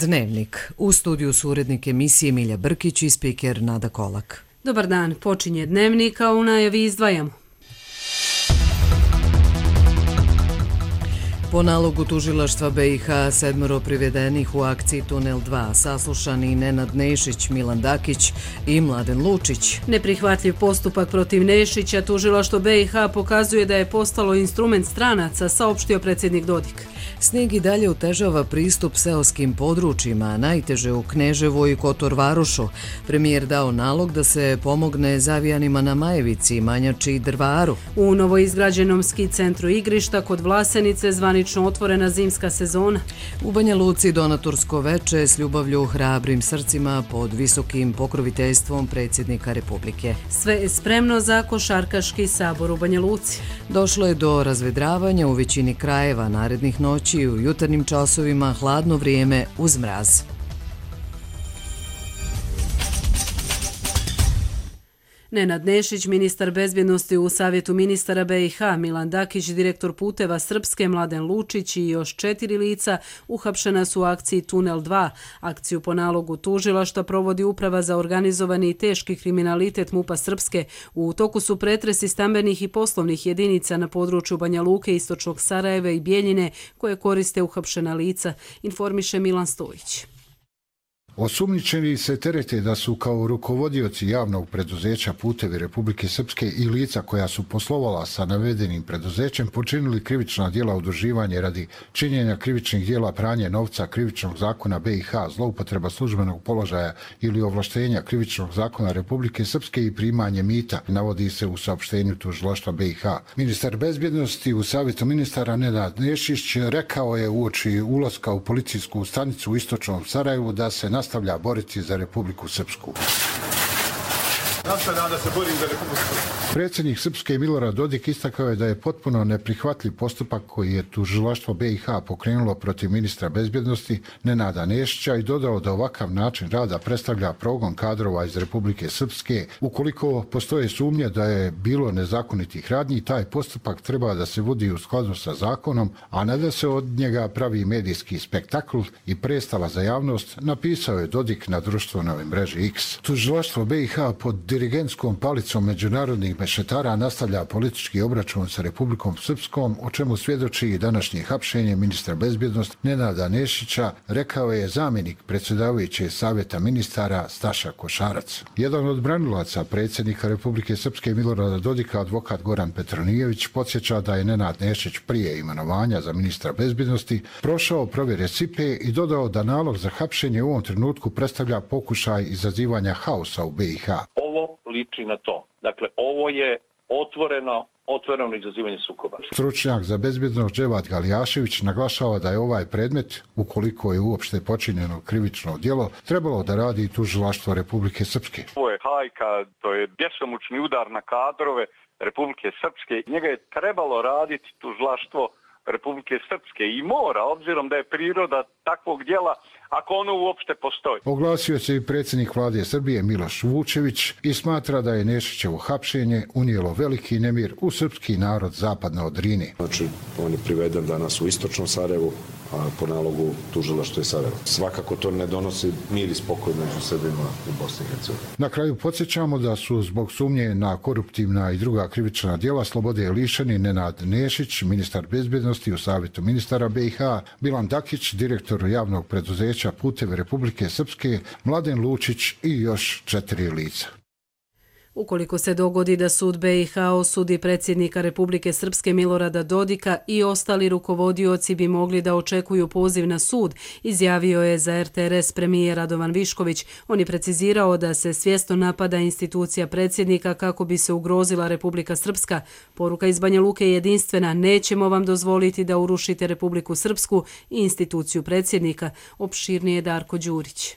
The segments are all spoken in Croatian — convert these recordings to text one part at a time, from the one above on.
Dnevnik. U studiju su urednik emisije Milja Brkić i spiker Nada Kolak. Dobar dan, počinje Dnevnik, a u najavi izdvajamo. Po nalogu tužilaštva BiH 7 privedenih u akciji Tunel 2 saslušani Nenad Nešić, Milan Dakić i Mladen Lučić. Neprihvatljiv postupak protiv Nešića tužilaštvo BiH pokazuje da je postalo instrument stranaca, saopštio predsjednik Dodik. Snijeg i dalje otežava pristup seoskim područjima, najteže u Kneževu i Kotor Varošu. Premijer dao nalog da se pomogne zavijanima na Majevici, Manjači i Drvaru. U novoizgrađenom ski centru igrišta kod Vlasenice zvanično otvorena zimska sezona. U Banja Luci donatorsko veče s ljubavlju hrabrim srcima pod visokim pokroviteljstvom predsjednika Republike. Sve je spremno za košarkaški sabor u Banja Luci. Došlo je do razvedravanja u većini krajeva narednih noći i u jutarnjim časovima hladno vrijeme uz mraz. Nenad Nešić, ministar bezbjednosti u Savjetu ministara BiH, Milan Dakić, direktor puteva Srpske, Mladen Lučić i još 4 lica uhapšena su u akciji Tunel 2. Akciju po nalogu tužilaštva provodi Uprava za organizovani i teški kriminalitet MUP-a Srpske. U toku su pretresi stambenih i poslovnih jedinica na području Banja Luke, Istočnog Sarajeva i Bijeljine koje koriste uhapšena lica, informiše Milan Stojić. Osumnjičeni se terete da su kao rukovodioci javnog preduzeća Putevi Republike Srpske i lica koja su poslovala sa navedenim preduzećem počinili krivična djela udruživanja radi činjenja krivičnih djela pranje novca, krivičnog zakona BiH, zloupotreba službenog položaja ili ovlaštenja krivičnog zakona Republike Srpske i primanje mita, navodi se u saopštenju tužilaštva BiH. Ministar bezbjednosti u Savjetu ministara Nenad Nešić rekao je uoči ulaska u policijsku stanicu u Istočnom Sarajevu da se nastavlja boriti za Republiku Srpsku. Nastavljam da se borim za Republiku Srpsku. Predsjednik Srpske Milorad Dodik istakao je da je potpuno neprihvatljiv postupak koji je tužilaštvo BiH pokrenulo protiv ministra bezbjednosti Nenada Nešića i dodao da ovakav način rada predstavlja progon kadrova iz Republike Srpske. Ukoliko postoje sumnje da je bilo nezakonitih radnji, taj postupak treba da se vodi u skladu sa zakonom, a ne da se od njega pravi medijski spektakl i predstava za javnost, napisao je Dodik na društvenoj mreži X. Tužilaštvo BiH pod dirigentskom palicom međunarodnih mešetara nastavlja politički obračun sa Republikom Srpskom, o čemu svjedoči i današnje hapšenje ministra bezbjednosti Nenada Nešića, rekao je zamjenik predsjedavajućeg Savjeta ministara Staša Košarac. Jedan od branilaca predsjednika Republike Srpske Milorada Dodika, advokat Goran Petronijević, podsjeća da je Nenad Nešić prije imenovanja za ministra bezbjednosti prošao provjere SIPE i dodao da nalog za hapšenje u ovom trenutku predstavlja pokušaj izazivanja haosa u BiH. Ovo liči na to. Dakle, ovo je otvoreno izazivanje sukoba. Stručnjak za bezbjednost Dževat Galijašević naglašava da je ovaj predmet, ukoliko je uopšte počinjeno krivično djelo, trebalo da radi i tužilaštvo Republike Srpske. Ovo je hajka, to je bjesomučni udar na kadrove Republike Srpske. Njega je trebalo raditi tužilaštvo Republike Srpske i mora, obzirom da je priroda takvog djela, ako ono uopšte postoji. Oglasio se i predsjednik vlade Srbije Miloš Vučević i smatra da je Nešićevo hapšenje unijelo veliki nemir u srpski narod zapadno od Drine. Znači, on je priveden danas u Istočnom Sarajevu, a po nalogu tužilaštva je Sarajevo. Svakako to ne donosi mir i spokoj među Srbima u Bosni i Hercegovini. Na kraju podsjećamo da su zbog sumnje na koruptivna i druga krivična djela slobode lišeni Nenad Nešić, ministar bezbjednosti u Savjetu ministara BiH, Milan Dakić, direktor javnog preduzeća Putevi Republike Srpske, Mladen Lučić i još 4 lica. Ukoliko se dogodi da sud BiH osudi predsjednika Republike Srpske Milorada Dodika i ostali rukovodioci bi mogli da očekuju poziv na sud, izjavio je za RTRS premijer Radovan Višković. On je precizirao da se svjesno napada institucija predsjednika kako bi se ugrozila Republika Srpska. Poruka iz Banja Luke je jedinstvena: nećemo vam dozvoliti da urušite Republiku Srpsku i instituciju predsjednika. Opširnije Darko Đurić.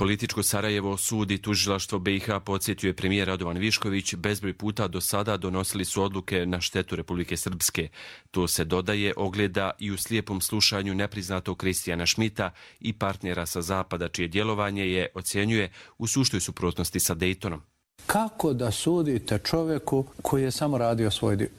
Političko Sarajevo, sud i tužilaštvo BiH, podsjetio je premijer Radovan Višković, bezbroj puta do sada donosili su odluke na štetu Republike Srpske. To se dodaje, ogleda i u slijepom slušanju nepriznatog Kristijana Šmita i partnera sa zapada, čije djelovanje je, ocjenjuje, u suštoj suprotnosti sa Dejtonom. Kako da sudite čovjeku koji je samo radio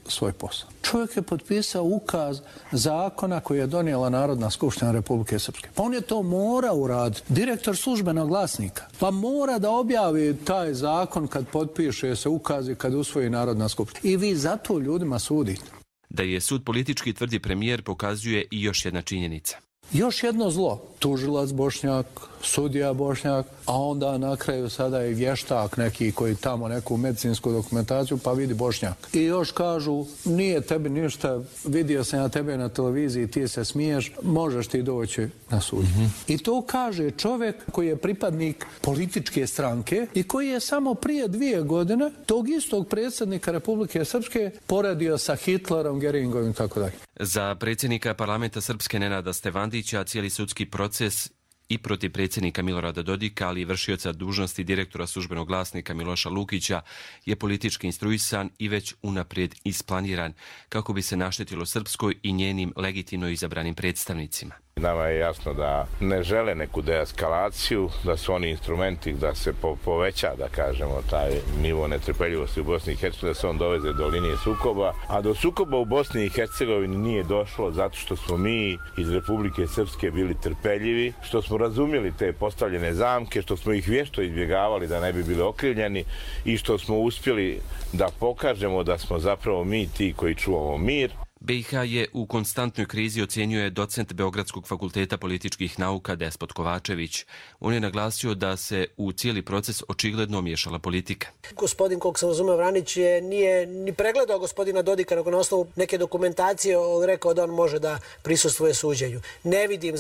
svoj posao? Čovjek je potpisao ukaz zakona koji je donijela Narodna skupština Republike Srpske. Pa on je to mora uraditi. Direktor Službenog glasnika. Pa mora da objavi taj zakon kad potpiše se ukaz i kad usvoji Narodna skupština. I vi zato ljudima sudite. Da je sud politički, tvrdi premijer, pokazuje i još jedna činjenica. Još jedno zlo. Tužilac Bošnjak, sudija Bošnjak, a onda na kraju sada i vještak neki koji tamo neku medicinsku dokumentaciju pa vidi Bošnjak. I još kažu, nije tebi ništa, vidio sam ja tebe na televiziji, ti se smiješ, možeš ti doći na sud. I to kaže čovjek koji je pripadnik političke stranke i koji je samo prije 2 godine tog istog predsjednika Republike Srpske poredio sa Hitlerom, Geringovim i tako dalje. Za predsjednika parlamenta Srpske Nenada Stevandića cijeli sudski proces i protiv predsjednika Milorada Dodika, ali i vršioca dužnosti direktora Službenog glasnika Miloša Lukića je politički instruisan i već unaprijed isplaniran kako bi se naštetilo Srpskoj i njenim legitimno izabranim predstavnicima. Nama je jasno da ne žele neku deeskalaciju, da su oni instrumenti da se poveća, da kažemo, taj nivo netrpeljivosti u Bosni i Hercegovini, da se on doveze do linije sukoba. A do sukoba u Bosni i Hercegovini nije došlo zato što smo mi iz Republike Srpske bili trpeljivi, što smo razumjeli te postavljene zamke, što smo ih vješto izbjegavali da ne bi bili okrivljeni i što smo uspjeli da pokažemo da smo zapravo mi ti koji čuvamo mir. BiH je u konstantnoj krizi, ocjenjuje docent Beogradskog fakulteta političkih nauka Despot Kovačević. On je naglasio da se u cijeli proces očigledno miješala politika. Gospodin, kog sam razumeo, Vranić nije ni pregledao gospodina Dodika, nego na osnovu neke dokumentacije rekao da on može da prisustvuje suđenju. Ne vidim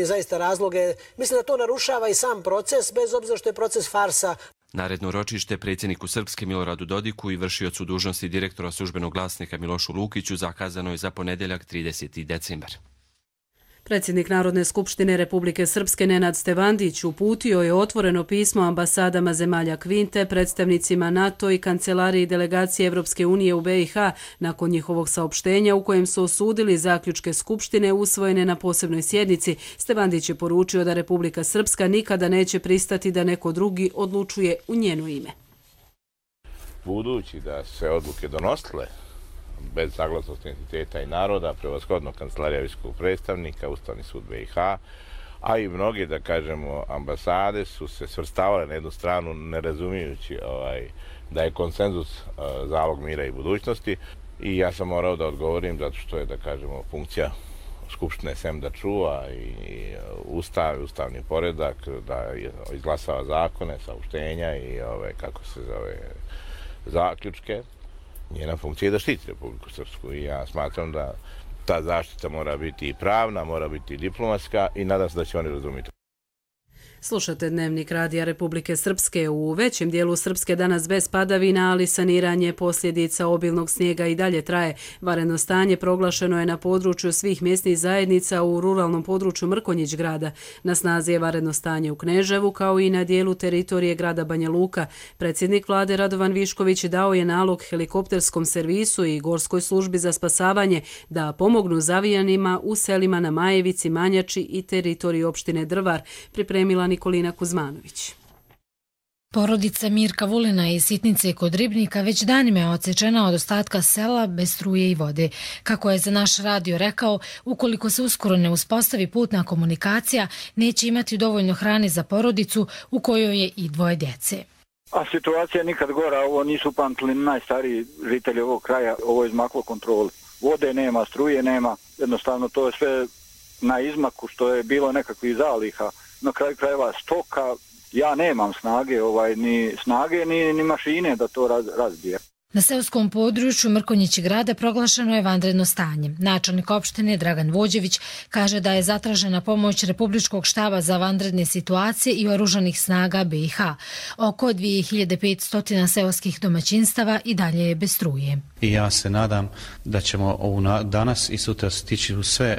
zaista razloge. Mislim da to narušava i sam proces, bez obzira što je proces farsa. Naredno ročište predsjedniku Srpske Miloradu Dodiku i vršiocu dužnosti direktora Službenog glasnika Milošu Lukiću zakazano je za ponedjeljak 30. decembar. Predsjednik Narodne skupštine Republike Srpske Nenad Stevandić uputio je otvoreno pismo ambasadama zemalja Kvinte, predstavnicima NATO i kancelariji delegacije Evropske unije u BiH nakon njihovog saopštenja u kojem su osudili zaključke Skupštine usvojene na posebnoj sjednici. Stevandić je poručio da Republika Srpska nikada neće pristati da neko drugi odlučuje u njeno ime. Budući da se odluke donosile bez saglasnosti entiteta i naroda, prevashodno Kancelarija visokog predstavnika, Ustavni sud BiH, a i mnoge, da kažemo, ambasade su se svrstavale na jednu stranu ne razumijući da je konsenzus zalog mira i budućnosti i ja sam morao da odgovorim zato što je, da kažemo, funkcija Skupštine sem da čuva i ustavni poredak, da izglasava zakone, saopštenja i zaključke. Njena funkcija je da štiti Republiku Srpsku i ja smatram da ta zaštita mora biti i pravna, mora biti i diplomatska i nadam se da će oni razumjeti. Slušate Dnevnik Radija Republike Srpske. U većem dijelu Srpske danas bez padavina, ali saniranje posljedica obilnog snijega i dalje traje. Vanredno stanje proglašeno je na području svih mjesnih zajednica u ruralnom području Mrkonjić grada. Na snazi je vanredno stanje u Kneževu kao i na dijelu teritorije grada Banja Luka. Predsjednik vlade Radovan Višković dao je nalog helikopterskom servisu i gorskoj službi za spasavanje da pomognu zavijanima u selima na Majevici, Manjači i teritoriji opštine Drvar, pripremila Nikolina Kuzmanović. Porodica Mirka Vulina iz Sitnice kod Ribnika već danima je odsečena od ostatka sela bez struje i vode. Kako je za naš radio rekao, ukoliko se uskoro ne uspostavi putna komunikacija, neće imati dovoljno hrane za porodicu u kojoj je i 2 djece. A situacija je nikad gora, ovo nisu pamtili najstariji žitelji ovog kraja, ovo je izmaklo kontroli. Vode nema, struje nema, jednostavno to je sve na izmaku što je bilo nekakvih zaliha. Na kraju krajeva stoka, ja nemam snage, ni mašine da to razbije. Na seoskom području Mrkonjić grada proglašeno je vanredno stanje. Načelnik opštine Dragan Vođević kaže da je zatražena pomoć Republičkog štaba za vanredne situacije i oružanih snaga BiH. Oko 2500 seoskih domaćinstava i dalje je bez struje. I ja se nadam da ćemo danas i sutra stići u sve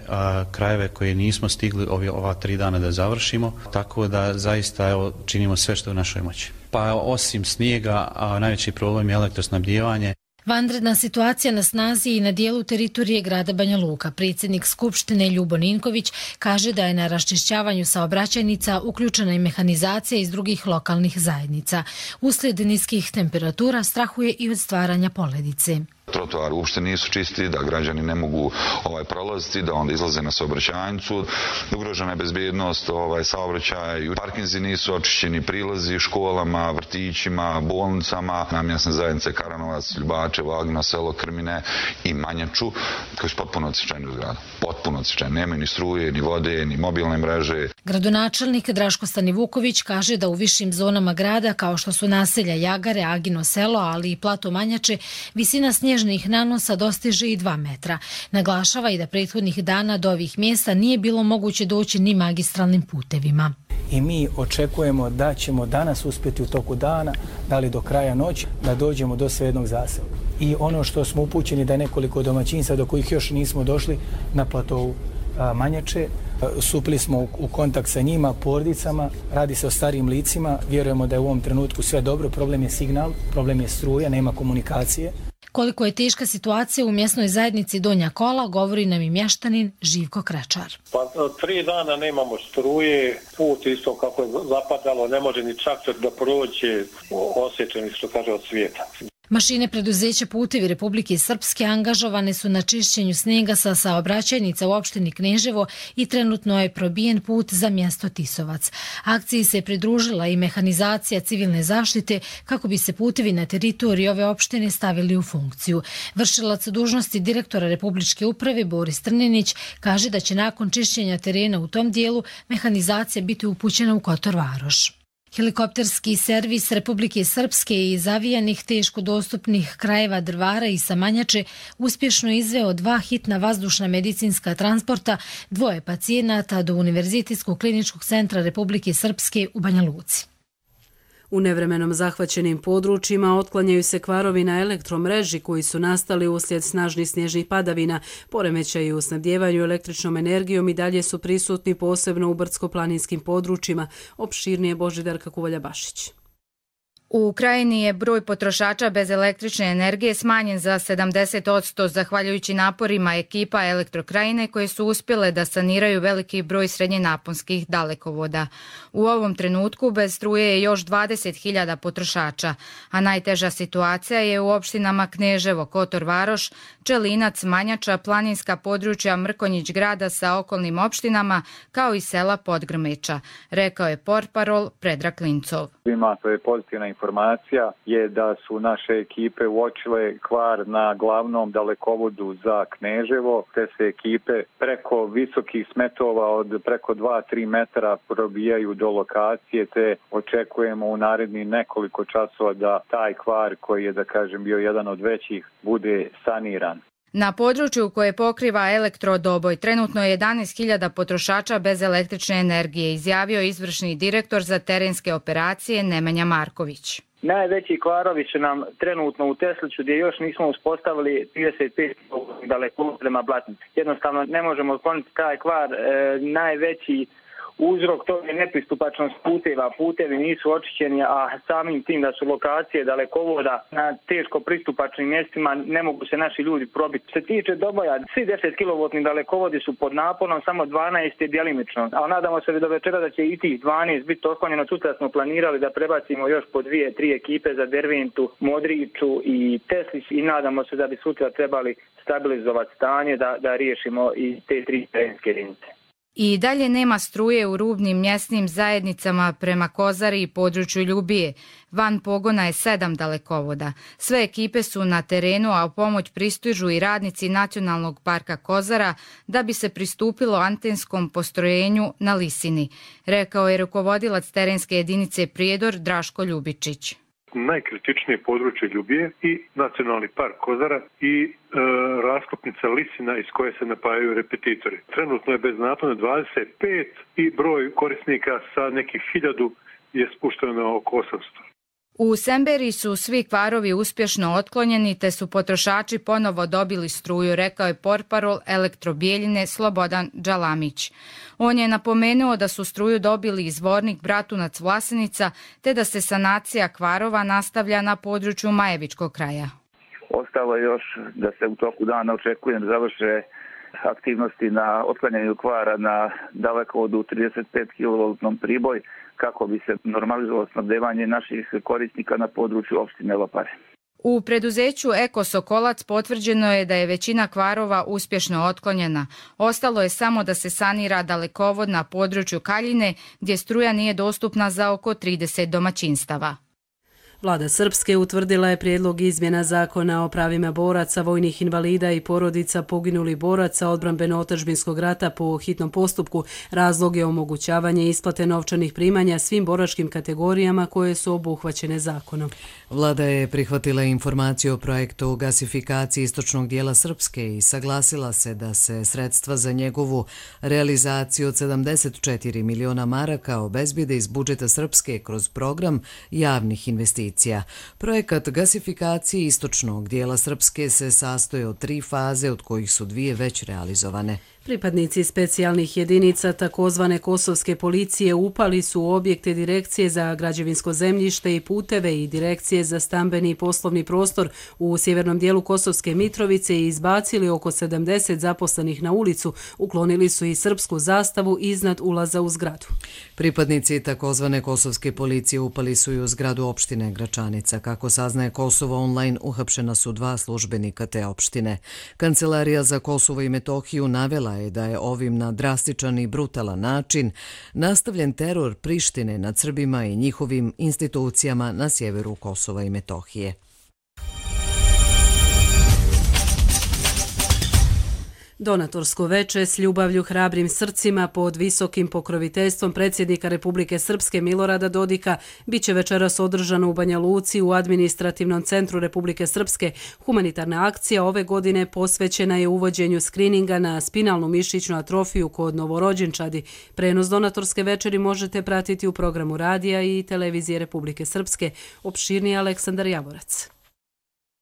krajeve koje nismo stigli ova 3 dana da završimo, tako da zaista činimo sve što je u našoj moći. Pa osim snijega, najveći problem je elektrosnabdijevanje. Vanredna situacija na snazi i na dijelu teritorije grada Banja Luka. Predsjednik Skupštine Ljubo Ninković kaže da je na raščišćavanju saobraćajnica uključena i mehanizacija iz drugih lokalnih zajednica. Uslijed niskih temperatura strahuje i od stvaranja poledice. Trotoari uopšte nisu čisti, da građani ne mogu prolaziti, da onda izlaze na saobraćajnicu. Ugrožena je bezbjednost saobraćaja, parkinzi nisu očišćeni, prilazi školama, vrtićima, bolnicama, namjenske zajednice Karanovac, Ljubače, Vagna, selo Krmine i Manjaču, koji su potpuno odsječeni u zgradu. Potpuno odsječeni. Nema ni struje, ni vode, ni mobilne mreže. Gradonačelnik Draško Stanivuković kaže da u višim zonama grada, kao što su naselja Jagare, Agino selo, ali i plato Manjače, visina snježnih nanosa dostiže i 2 metra. Naglašava i da prethodnih dana do ovih mjesta nije bilo moguće doći ni magistralnim putevima. I mi očekujemo da ćemo danas uspjeti u toku dana, da li do kraja noći, da dođemo do svejednog zasela. I ono što smo upućeni da je nekoliko domaćinstva do kojih još nismo došli na platovu Manjače, stupili smo u kontakt sa njima, porodicama, radi se o starijim licima, vjerujemo da je u ovom trenutku sve dobro, problem je signal, problem je struja, nema komunikacije. Koliko je teška situacija u mjesnoj zajednici Donja Kola, govori nam i mještanin Živko Krečar. Pa 3 dana nemamo struje, put isto kako je zapadalo, ne može ni traktor da prođe, osjećeni što kaže od svijeta. Mašine preduzeća Putevi Republike Srpske angažovane su na čišćenju snijega sa saobraćajnica u opštini Kneževo i trenutno je probijen put za mjesto Tisovac. Akciji se pridružila i mehanizacija civilne zaštite kako bi se putevi na teritoriji ove opštine stavili u funkciju. Vršilac dužnosti direktora Republičke uprave Boris Trninić kaže da će nakon čišćenja terena u tom dijelu mehanizacija biti upućena u Kotor Varoš. Helikopterski servis Republike Srpske i zavijanih teško dostupnih krajeva Drvara i Samanjače uspješno izveo 2 hitna vazdušna medicinska transporta 2 pacijenata do Univerzitetskog kliničkog centra Republike Srpske u Banja Luci. U nevremenom zahvaćenim područjima otklanjaju se kvarovi na elektromreži koji su nastali uslijed snažnih snježnih padavina. Poremećaji u snabdjevanju električnom energijom i dalje su prisutni posebno u brdsko-planinskim područjima. Opširnije Božidarka Kuvalja-Bašić. U Krajini je broj potrošača bez električne energije smanjen za 70% zahvaljujući naporima ekipa Elektrokrajine koje su uspjele da saniraju veliki broj srednjenaponskih dalekovoda. U ovom trenutku bez struje je još 20.000 potrošača, a najteža situacija je u opštinama Kneževo, Kotor Varoš, Čelinac, Manjača, planinska područja Mrkonjić grada sa okolnim opštinama, kao i sela Podgrmeča, rekao je portparol Predrag Klincov. Ima to je pozitivna informacija je da su naše ekipe uočile kvar na glavnom dalekovodu za Kneževo, te se ekipe preko visokih smetova od preko 2-3 metara probijaju do lokacije, te očekujemo u narednih nekoliko časova da taj kvar koji je, da kažem, bio jedan od većih, bude saniran. Na području koje pokriva elektrodoboj trenutno je 11.000 potrošača bez električne energije, izjavio izvršni direktor za terenske operacije Nemanja Marković. Najveći kvarovi su nam trenutno u Tesliću gdje još nismo uspostavili 35 dalekovod prema Blatnici. Jednostavno ne možemo otkloniti taj kvar, najveći uzrok toga je nepristupačnost puteva. Putevi nisu očišćeni, a samim tim da su lokacije dalekovoda na teško pristupačnim mjestima ne mogu se naši ljudi probiti. Se tiče doboja, svi 10 kV dalekovodi su pod naponom, samo 12 je djelimično. A nadamo se do večera da će i tih 12 biti otklonjeno. Sutra smo planirali da prebacimo još po 2-3 ekipe za Derventu, Modriću i Teslić i nadamo se da bi sutra trebali stabilizovati stanje da riješimo i te 3 terenske jedinice. I dalje nema struje u rubnim mjesnim zajednicama prema Kozari i području Ljubije. Van pogona je 7 dalekovoda. Sve ekipe su na terenu, a u pomoć pristižu i radnici Nacionalnog parka Kozara da bi se pristupilo antenskom postrojenju na Lisini, rekao je rukovodilac terenske jedinice Prijedor Draško Ljubičić. Najkritičnije područje Ljubije i Nacionalni park Kozara i raskopnica Lisina iz koje se napajaju repetitori. Trenutno je bez napona 25 i broj korisnika sa nekih 1000 je spušteno na oko 800. U Semberi su svi kvarovi uspješno otklonjeni te su potrošači ponovo dobili struju, rekao je portparol Elektrobijeljine Slobodan Đalamić. On je napomenuo da su struju dobili izvornik Bratunac Vlasenica te da se sanacija kvarova nastavlja na području Majevičkog kraja. Ostalo je još da se u toku dana očekujem završe aktivnosti na otklanjanju kvara na dalekovodu 35 kV priboj kako bi se normalizovalo snabdevanje naših korisnika na području opštine Lopare. U preduzeću Eko Sokolac potvrđeno je da je većina kvarova uspješno otklonjena. Ostalo je samo da se sanira dalekovod na području Kaljine gdje struja nije dostupna za oko 30 domaćinstava. Vlada Srpske utvrdila je prijedlog izmjena zakona o pravima boraca, vojnih invalida i porodica poginulih boraca odbrambeno-otadžbinskog rata po hitnom postupku. Razlog je omogućavanje isplate novčanih primanja svim boračkim kategorijama koje su obuhvaćene zakonom. Vlada je prihvatila informaciju o projektu gasifikacije istočnog dijela Srpske i saglasila se da se sredstva za njegovu realizaciju od 74 miliona maraka obezbijede iz budžeta Srpske kroz program javnih investicija. Projekat gasifikacije istočnog dijela Srpske se sastoji od 3 faze, od kojih su 2 već realizovane. Pripadnici specijalnih jedinica takozvane kosovske policije upali su u objekte Direkcije za građevinsko zemljište i puteve i Direkcije za stambeni i poslovni prostor u sjevernom dijelu Kosovske Mitrovice i izbacili oko 70 zaposlenih na ulicu. Uklonili su i srpsku zastavu iznad ulaza u zgradu. Pripadnici takozvane kosovske policije upali su i u zgradu opštine Gračanica. Kako saznaje Kosovo online, uhapšena su 2 službenika te opštine. Kancelarija za Kosovo i Metohiju navela je da je ovim na drastičan i brutalan način nastavljen teror Prištine nad Srbima i njihovim institucijama na sjeveru Kosova i Metohije. Donatorsko veče s ljubavlju hrabrim srcima pod visokim pokroviteljstvom predsjednika Republike Srpske Milorada Dodika biće večeras održano u Banja Luci u administrativnom centru Republike Srpske. Humanitarna akcija ove godine posvećena je uvođenju skrininga na spinalnu mišićnu atrofiju kod novorođenčadi. Prenos donatorske večeri možete pratiti u programu radija i televizije Republike Srpske. Opširniji Aleksandar Javorac.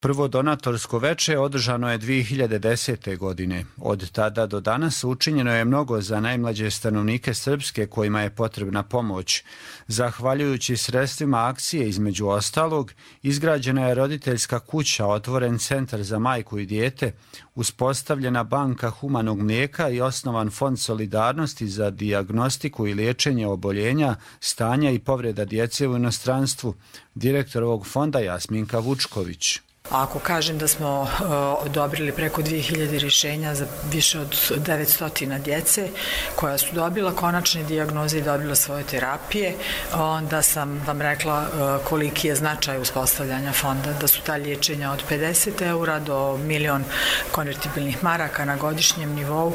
Prvo donatorsko veče održano je 2010. godine. Od tada do danas učinjeno je mnogo za najmlađe stanovnike Srpske kojima je potrebna pomoć. Zahvaljujući sredstvima akcije, između ostalog, izgrađena je roditeljska kuća, otvoren centar za majku i dijete, uspostavljena banka humanog mlijeka i osnovan fond solidarnosti za dijagnostiku i liječenje oboljenja, stanja i povreda djece u inostranstvu. Direktor ovog fonda Jasminka Vučković. Ako kažem da smo odobrili preko 2000 rješenja za više od 900 djece koja su dobila konačne dijagnoze i dobila svoje terapije, onda sam vam rekla koliki je značaj uspostavljanja fonda, da su ta liječenja od 50 eura do 1.000.000 konvertibilnih maraka na godišnjem nivou.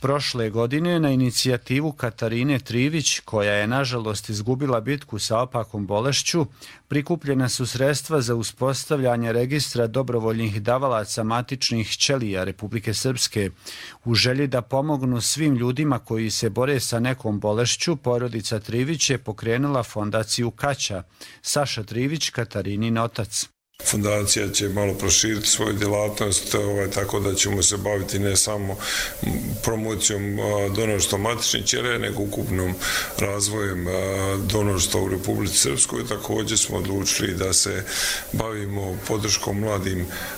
Prošle godine na inicijativu Katarine Trivić, koja je nažalost izgubila bitku sa opakom bolešću, prikupljena su sredstva za uspostavljanje registra dobrovoljnih davalaca matičnih ćelija Republike Srpske. U želji da pomognu svim ljudima koji se bore sa nekom bolešću, porodica Trivić je pokrenula fondaciju Kaća. Saša Trivić, Katarinin otac. Fondacija će malo proširiti svoju djelatnost, tako da ćemo se baviti ne samo promocijom donorstva matičnih ćelija, nego ukupnom razvojem donorstva u Republici Srpskoj. Također smo odlučili da se bavimo podrškom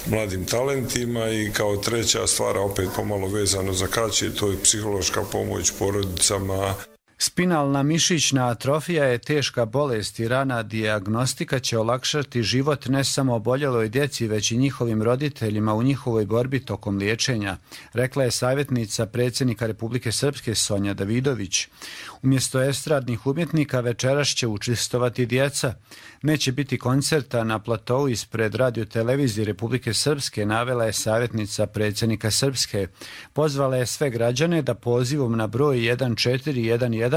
mladim talentima i kao treća stvar, opet pomalo vezano za Kaće, to je psihološka pomoć porodicama. Spinalna mišićna atrofija je teška bolest i rana dijagnostika će olakšati život ne samo oboljeloj djeci, već i njihovim roditeljima u njihovoj borbi tokom liječenja, rekla je savjetnica predsjednika Republike Srpske Sonja Davidović. Umjesto estradnih umjetnika večeras će učestvovati djeca. Neće biti koncerta na platou ispred radiotelevizije Republike Srpske, navela je savjetnica predsjednika Srpske. Pozvala je sve građane da pozivom na broj 1411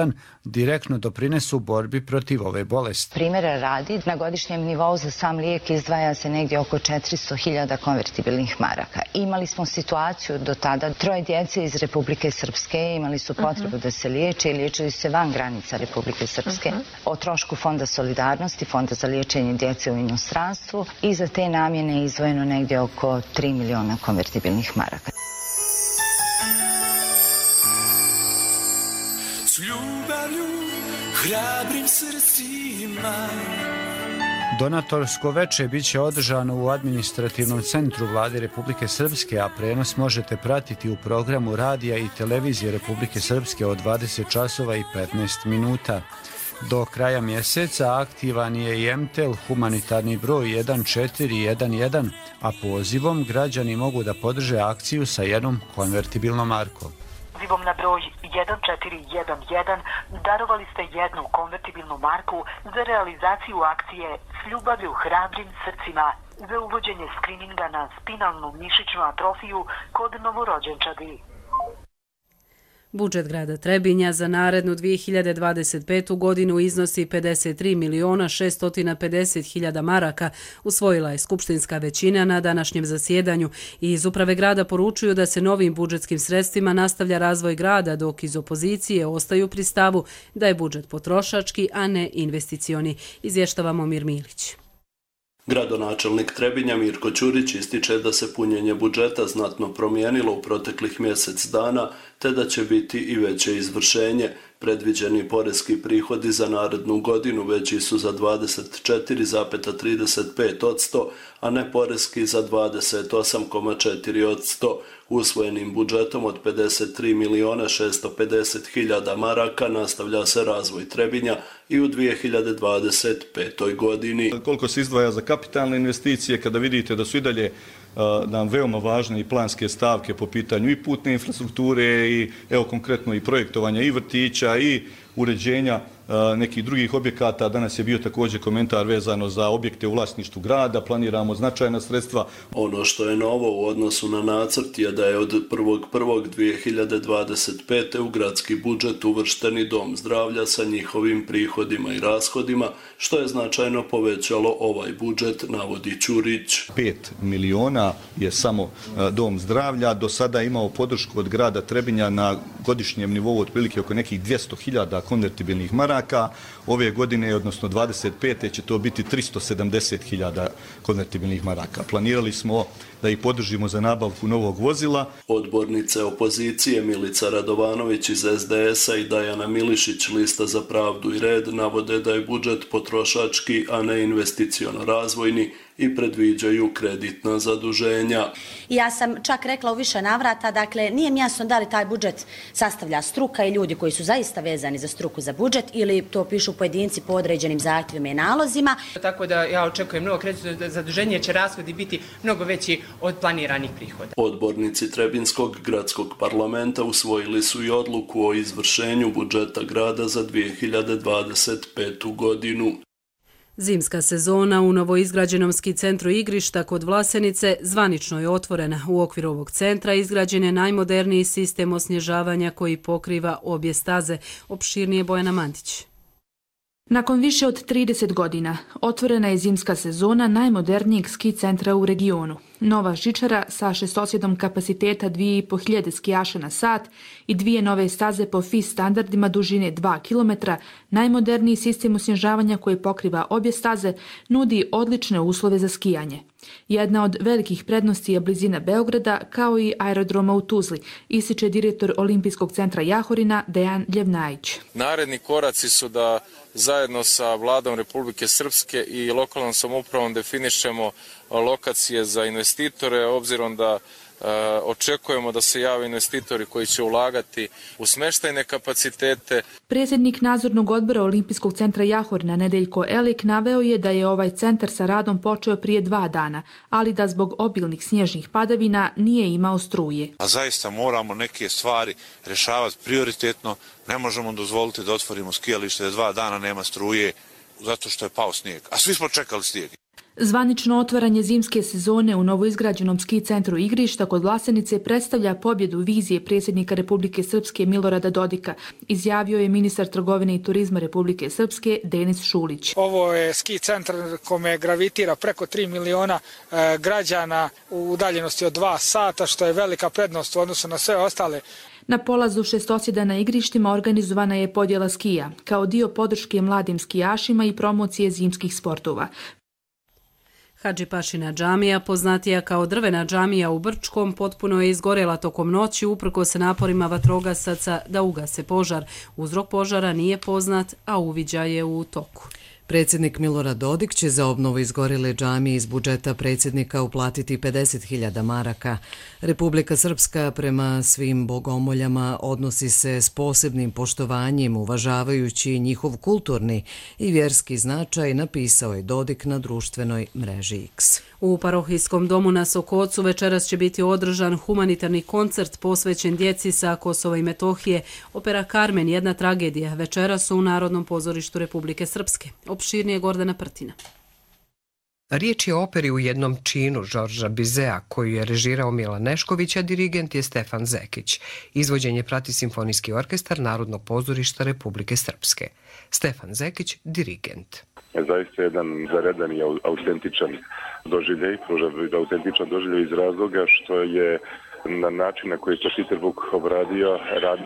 direktno doprinesu borbi protiv ove bolesti. Primjera radi, na godišnjem nivou za sam lijek izdvaja se negdje oko 400.000 konvertibilnih maraka. Imali smo situaciju do tada, 3 djece iz Republike Srpske imali su potrebu da se liječe i liječili se van granica Republike Srpske. O trošku Fonda solidarnosti, Fonda za liječenje djece u inostranstvu i za te namjene je izdvojeno negdje oko 3 miliona konvertibilnih maraka. S ljubavlju, hrabrim srcima. Donatorsko veče biće održano u administrativnom centru Vlade Republike Srpske, a prenos možete pratiti u programu radija i televizije Republike Srpske od 20 časova i 15 minuta. Do kraja mjeseca aktivan je i MTEL humanitarni broj 1411, a pozivom građani mogu da podrže akciju sa jednom konvertibilnom markom. Pozivom na broj 1411 darovali ste jednu konvertibilnu marku za realizaciju akcije S ljubavlju hrabrim srcima za uvođenje skrininga na spinalnu mišićnu atrofiju kod novorođenčadi. Budžet grada Trebinja za narednu 2025. godinu iznosi 53.650.000 maraka, usvojila je skupštinska većina na današnjem zasjedanju i iz uprave grada poručuju da se novim budžetskim sredstvima nastavlja razvoj grada, dok iz opozicije ostaju pri stavu da je budžet potrošački, a ne investicioni. Izvještava Momir Milić. Gradonačelnik Trebinja Mirko Ćurić ističe da se punjenje budžeta znatno promijenilo u proteklih mjesec dana, te da će biti i veće izvršenje. Predviđeni poreski prihodi za narednu godinu veći su za 24,35%, a ne poreski za 28,4%. Usvojenim budžetom od 53.650.000 maraka nastavlja se razvoj Trebinja i u 2025. godini. Koliko se izdvaja za kapitalne investicije, kada vidite da su i dalje nam veoma važne i planske stavke po pitanju i putne infrastrukture i evo konkretno i projektovanja i vrtića i uređenja nekih drugih objekata. Danas je bio također komentar vezano za objekte u vlasništvu grada, planiramo značajna sredstva. Ono što je novo u odnosu na nacrt je da je od 1.1.2025. u gradski budžet uvršteni dom zdravlja sa njihovim prihodima i rashodima, što je značajno povećalo ovaj budžet, navodi Ćurić. 5 miliona je samo dom zdravlja, do sada je imao podršku od grada Trebinja na godišnjem nivou otprilike oko nekih 200.000 konvertibilnih maraka. Ove godine, odnosno 25. će to biti 370.000 konvertibilnih maraka. Planirali smo da ih podržimo za nabavku novog vozila. Odbornice opozicije Milica Radovanović iz SDS-a i Dajana Milišić Lista za pravdu i red navode da je budžet potrošački, a ne investiciono-razvojni i predviđaju kreditna zaduženja. Ja sam čak rekla u više navrata, dakle, nije mi jasno da li taj budžet sastavlja struka i ljudi koji su zaista vezani za struku za budžet ili to pišu pojedinci po određenim zahtjevima i nalozima. Tako da ja očekujem novo kreditno zaduženje, će rashodi biti mnogo veći od planiranih prihoda. Odbornici Trebinskog gradskog parlamenta usvojili su i odluku o izvršenju budžeta grada za 2025. godinu. Zimska sezona u novoizgrađenom ski centru igrišta kod Vlasenice zvanično je otvorena. U okviru ovog centra izgrađen je najmoderniji sistem osnježavanja koji pokriva obje staze. Opširnije Bojana Mandić. Nakon više od 30 godina otvorena je zimska sezona najmodernijeg ski centra u regionu. Nova žičara sa šestosjedom kapaciteta 2500 skijaša na sat i dvije nove staze po FIS standardima dužine 2 km, najmoderniji sistem osnježavanja koji pokriva obje staze, nudi odlične uslove za skijanje. Jedna od velikih prednosti je blizina Beograda kao i aerodroma u Tuzli, ističe direktor Olimpijskog centra Jahorina Dejan Ljevnajić. Naredni koraci su da zajedno sa Vladom Republike Srpske i lokalnom samoupravom definišemo lokacije za investitore, obzirom da očekujemo da se jave investitori koji će ulagati u smještajne kapacitete. Predsjednik nadzornog odbora Olimpijskog centra Jahorina Nedeljko Elik naveo je da je ovaj centar sa radom počeo prije 2 dana, ali da zbog obilnih snježnih padavina nije imao struje. A zaista moramo neke stvari rješavati prioritetno. Ne možemo dozvoliti da otvorimo skijalište, da 2 dana nema struje zato što je pao snijeg. A svi smo čekali snijeg. Zvanično otvaranje zimske sezone u novoizgrađenom ski centru igrišta kod Vlasenice predstavlja pobjedu vizije predsjednika Republike Srpske Milorada Dodika, izjavio je ministar trgovine i turizma Republike Srpske Denis Šulić. Ovo je ski centar kome gravitira preko 3 miliona građana u udaljenosti od 2 sata, što je velika prednost u odnosu na sve ostale. Na polazu šestosjeda na igrištima organizovana je podjela skija, kao dio podrške mladim skijašima i promocije zimskih sportova. Hadžipašina džamija, poznatija kao drvena džamija u Brčkom, potpuno je izgorela tokom noći uprkos naporima vatrogasaca da ugase požar. Uzrok požara nije poznat, a uviđaj je u toku. Predsjednik Milorad Dodik će za obnovu izgorjele džamije iz budžeta predsjednika uplatiti 50.000 maraka. Republika Srpska prema svim bogomoljama odnosi se s posebnim poštovanjem, uvažavajući njihov kulturni i vjerski značaj, napisao je Dodik na društvenoj mreži X. U parohijskom domu na Sokocu večeras će biti održan humanitarni koncert posvećen djeci sa Kosova i Metohije. Opera Karmen, jedna tragedija, večeras u Narodnom pozorištu Republike Srpske. Opširnije Gordana Prtina. Riječ je o operi u jednom činu Žorža Bizea, koju je režirao Milan Nešković, a dirigent je Stefan Zekić. Izvođenje prati Simfonijski orkestar Narodnog pozorišta Republike Srpske. Stefan Zekić, dirigent. Zaista jedan zaredan i autentičan doživljaj, autentičan doživljaj iz razloga što je na način na koji je Peter Vuk obradio,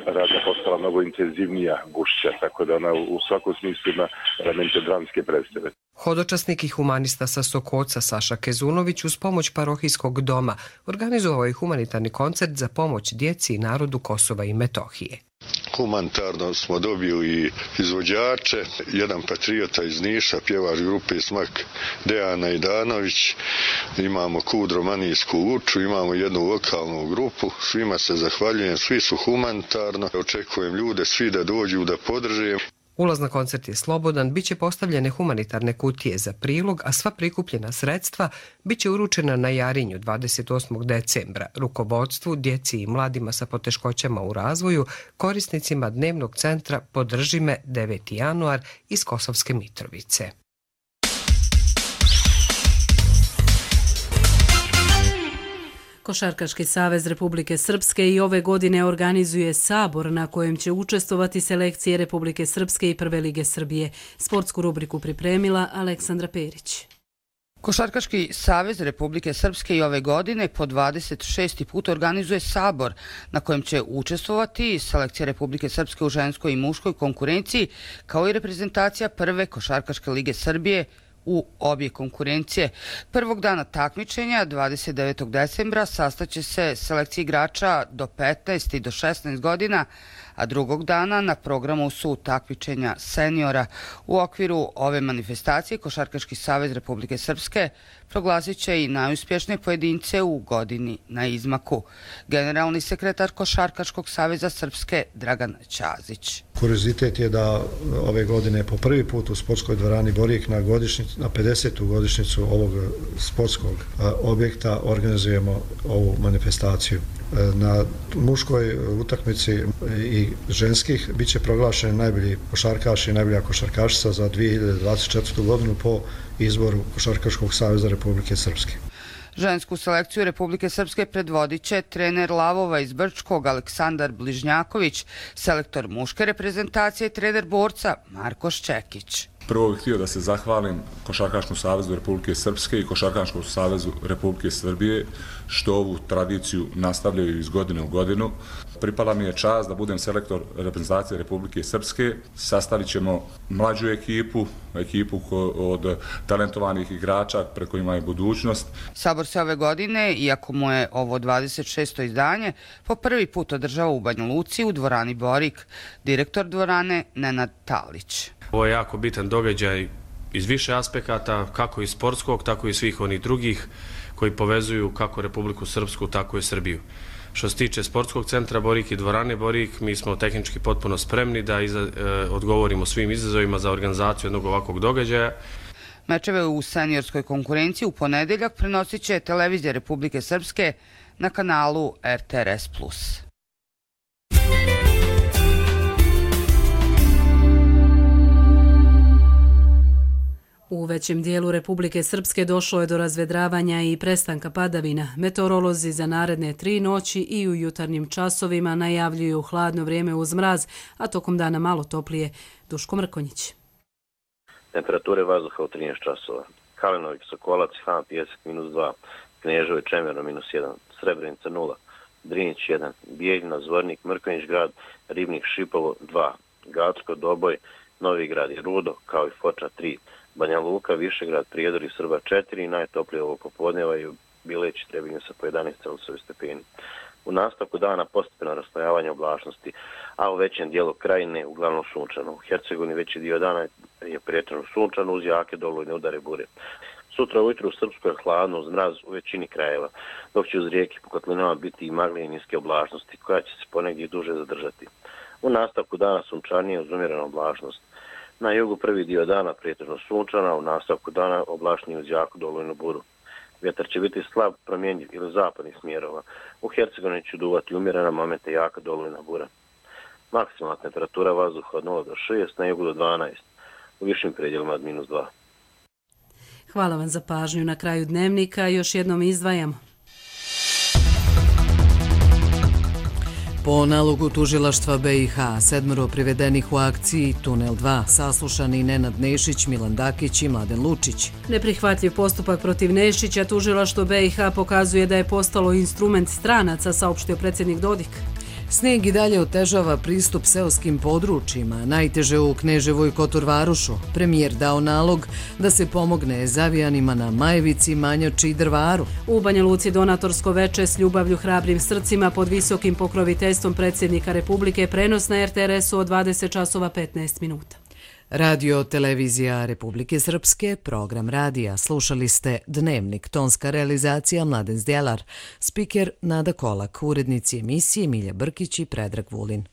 radnja postala mnogo intenzivnija, gušća, tako da ona u svakom smislu ima elemente dramske predstave. Hodočasnik i humanista sa Sokoca Saša Kezunović uz pomoć parohijskog doma organizovao je humanitarni koncert za pomoć djeci i narodu Kosova i Metohije. Humanitarno smo dobili izvođače, jedan patriota iz Niša, pjevač grupe Smak Dejana Idanović, imamo Kudro Manijsku Luču, imamo jednu lokalnu grupu, svima se zahvaljujem, svi su humanitarno, očekujem ljude svi da dođu da podrže. Ulaz na koncert je slobodan, bit će postavljene humanitarne kutije za prilog, a sva prikupljena sredstva bit će uručena na Jarinju 28. decembra rukovodstvu, djeci i mladima sa poteškoćama u razvoju, korisnicima dnevnog centra Podrži me 9. januar iz Kosovske Mitrovice. Košarkaški savez Republike Srpske i ove godine organizuje sabor na kojem će učestvovati selekcije Republike Srpske i Prve lige Srbije. Sportsku rubriku pripremila Aleksandra Perić. Košarkaški savez Republike Srpske i ove godine po 26. put organizuje sabor na kojem će učestvovati selekcija Republike Srpske u ženskoj i muškoj konkurenciji kao i reprezentacija Prve košarkaške lige Srbije u obje konkurencije. Prvog dana takmičenja, 29. decembra, sastaće se selekcija igrača do 15 i do 16 godina, a drugog dana na programu su takmičenja seniora. U okviru ove manifestacije Košarkaški savez Republike Srpske proglasit će i najuspješnije pojedince u godini na izmaku. Generalni sekretar Košarkaškog saveza Srpske Dragan Ćazić. Kuriozitet je da ove godine po prvi put u sportskoj dvorani Borik na 50. godišnjicu ovog sportskog objekta organizujemo ovu manifestaciju. Na muškoj utakmici i ženskih bit će proglašeni najbolji košarkaš i najbolja košarkašica za 2024. godinu po izboru Košarkaškog saveza Republike Srpske. Žensku selekciju Republike Srpske predvodit će trener Lavova iz Brčkog Aleksandar Bližnjaković, selektor muške reprezentacije i trener borca Marko Ščekić. Prvo bih htio da se zahvalim Košarkaškom savezu Republike Srpske i Košarkaškom savezu Republike Srbije što ovu tradiciju nastavljaju iz godine u godinu. Pripala mi je čast da budem selektor reprezentacije Republike Srpske. Sastavit ćemo mlađu ekipu od talentovanih igrača preko kojima je budućnost. Sabor se ove godine, iako mu je ovo 26. izdanje, po prvi put održava u Banja Luci u dvorani Borik, direktor dvorane Nenad Talić. Ovo je jako bitan događaj iz više aspekata, kako iz sportskog, tako i svih onih drugih koji povezuju kako Republiku Srpsku, tako i Srbiju. Što se tiče sportskog centra Borik i dvorane Borik, mi smo tehnički potpuno spremni da odgovorimo svim izazovima za organizaciju jednog ovakvog događaja. Mečeve u seniorskoj konkurenciji u ponedeljak prenosit će Televizija Republike Srpske na kanalu RTRS+. U većem dijelu Republike Srpske došlo je do razvedravanja i prestanka padavina. Meteorolozi za naredne 3 noći i u jutarnjim časovima najavljuju hladno vrijeme uz mraz, a tokom dana malo toplije. Duško Mrkonjić. Temperature vazduha u 13 časova. Kalinović, Sokolac, Han, Pjesak -2, Kneževo i Čemerno -1, Srebrenica 0, Drinić 1, Bijeljina, Zvornik, Mrkonjić grad, Ribnik, Šipovo 2, Gacko, Doboj, Novi grad i Rudo, kao i Foča 3, Banja Luka, Višegrad, Prijedor i Srba 4, najtoplije ovo popodneva i u Bileći Trebinju sa po 11 stepeni. U nastavku dana postepeno raslojavanje oblačnosti, a u većem dijelu krajine uglavnom sunčano. U Hercegovini veći dio dana je prijetežno sunčano uz jake dolujne udare bure. Sutra ujutru u Srpskoj je hladno uz mraz u većini krajeva, dok će uz rijeke po kotlinama biti i magle i niske oblačnosti, koja će se ponegdje duže zadržati. U nastavku dana sunčanije uz umjerenu oblačnost. Na jugu prvi dio dana prijetežno sunčana, u nastavku dana oblačnije uz jaku dolujnu buru. Vjetar će biti slab, promjenjiv ili zapadnih smjerova. U Hercegovini će duvati umjerena, momente jaka dolujna bura. Maksimalna temperatura vazduha od 0 do 6, na jugu do 12, u višim predjelima od -2. Hvala vam za pažnju. Na kraju dnevnika još jednom izdvajamo. Po nalogu tužilaštva BiH, 7 privedenih u akciji Tunel 2, saslušani Nenad Nešić, Milan Dakić i Mladen Lučić. Neprihvatljiv postupak protiv Nešića tužilaštvo BiH pokazuje da je postalo instrument stranaca, saopštio predsjednik Dodik. Snijeg i dalje otežava pristup seoskim područjima, najteže u Kneževoj Kotorvarušu. Premijer dao nalog da se pomogne zavijanima na Majevici, Manjači i Drvaru. U Banja Luci donatorsko veče s ljubavlju hrabrim srcima pod visokim pokroviteljstvom predsjednika Republike, prenos na RTRS-u od 20:15. Radio Televizija Republike Srpske, program radija. Slušali ste Dnevnik, tonska realizacija Mladen Zdjelar, spiker Nada Kolak, urednici emisije Milja Brkić i Predrag Vulin.